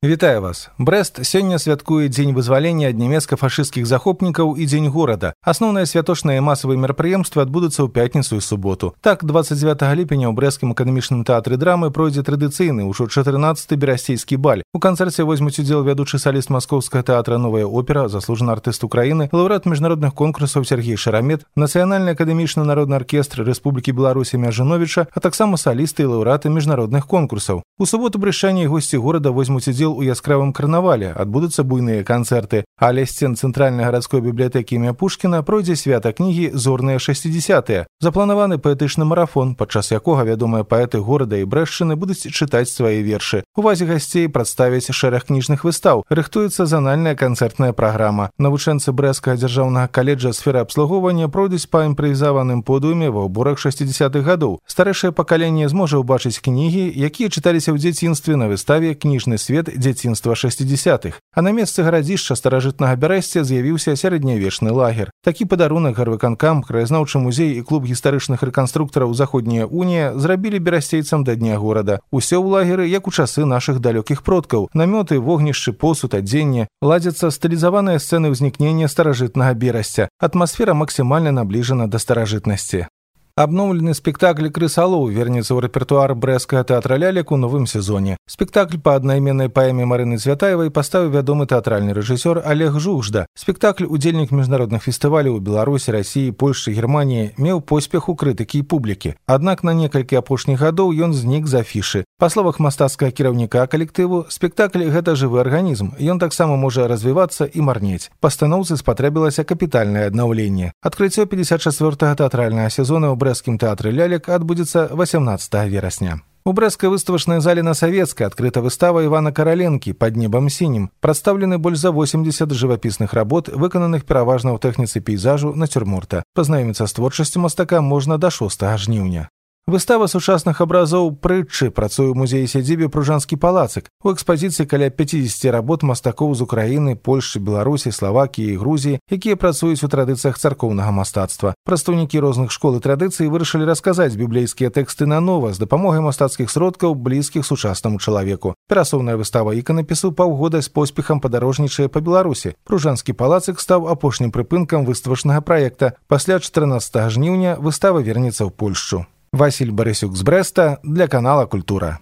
Вітаю вас. Брэст сёння святкуе дзень вызвалення ад нямецка-фашысцкіх захопнікаў і дзень горада. Асноўныя святочныя масавыя мерапрыемствы адбудуцца ў пятніцу і суботу. Так, 29 ліпеня ў брэсцкім акадэмічным тэатры драмы пройдзе традыцыйны ўжо 14-ы берасцейскі баль. У канцэрце возьмуць удзел вядучы саліст маскоўскага тэатра «Новая опера», заслужаны артыст Украіны, лаўрэат міжнародных конкурсаў Сергей Шарамет, Нацыянальны акадэмічны народны аркестр Рэспублікі Беларусь імя Жановіча, а таксама салісты і лаўрэаты міжнародных конкурсаў. У суботу брышчане і госці горада возьмуць удзел у яскравым карнавале, адбудуцца буйныя канцэрты. А ля сцен цэнтральнай гарадской бібліятэкі імя Пушкіна пройдзе свята кнігі «Зорныя 60-е». Запланаваны паэтычны марафон, падчас якога вядомыя паэты горада і Брэшчыны будуць чытаць свае вершы. Увазе гасцей прадставяць шэраг кніжных выстаў. Рыхтуецца занальная канцэртная праграма. Навучэнцы Брэсцкага дзяржаўнага каледжа сферы абслугоўвання пройдуць па імправізаваным подыуме ва ўборах 60-х гадоў. Старэйшае пакаленне зможа ўбачыць кнігі, якія чыталіся ў дзяцінстве на выставе «Кніжны свет дзяцінства 60-х». А на месцы гарадзішча старажытнага Бярэсця з'явіўся сярэднявечны лагер. Такі падарунак гарвыканкам, краязнаўчы музей і клуб гістарычных рэканструктараў «Заходняя унія» зрабілі берасцейцам да дня горада. Усё ў лагеры, як у часы нашых далёкіх продкаў. Намёты, вогнішчы, посуд, адзенне. Ладзяцца стылізаваныя сцэны ўзнікнення старажытнага Берасця. Атмасфера максімальна набліжана да старажытнасці. Абноўлены спектакль «Крысалоў» вернецца ў рэпертуар брэсцкага тэатра лялек у новым сезоне. Спектакль па аднайменнай паэме Марыны Цвятаевай паставіў вядомы тэатральны рэжысёр Олег Жужда. Спектакль, удзельнік міжнародных фестываляў у Беларусі, Расіі, Польшчы, Германіі, меў поспех у крытыкі і публікі. Аднак на некалькі апошніх гадоў ён знік з афішы. Па словах мастацкага кіраўніка калектыву, спектакль – гэта жывы арганізм. Ён таксама можа развівацца і марнець. Пастаноўцы спатрэбілася капітальнае аднаўленне. Адкрыццё 54-го тэатральнага сезона ў брэсцкім тэатры лялек адбудзецца 18 верасня. У брэсцкай выставачнай зале на Савецкай адкрыта выстава Івана Караленкі «Пад небам сінім». Прадстаўлены больш за 80 жывапісных работ, выкананых пераважна ў тэхніцы пейзажу нацюрморта. Пазнаёміцца з творчасцю мастака можна да 6 жніўня. Выстава сучасных абразоў «Прытчы» працуе ў музеі-сядзібе «Пружанскі палацык». У экспазіцыі каля 50 работ мастакоў з Украіны, Польшчы, Беларусі, Славакіі і Грузіі, якія працуюць у традыцыях царкоўнага мастацтва. Прадстаўнікі розных школ і традыцый вырашылі расказаць біблейскія тэксты нанова з дапамогай мастацкіх сродкаў, блізкіх сучаснаму чалавеку. Перасоўная выстава іканапісу паўгода з поспехам падарожнічае па Беларусі. Пружанскі палацык стаў апошнім прыпынкам выставачнага праекта. Пасля 14 жніўня выстава вернецца ў Польшчу. Васіль Барысюк з Брэста для канала «Культура».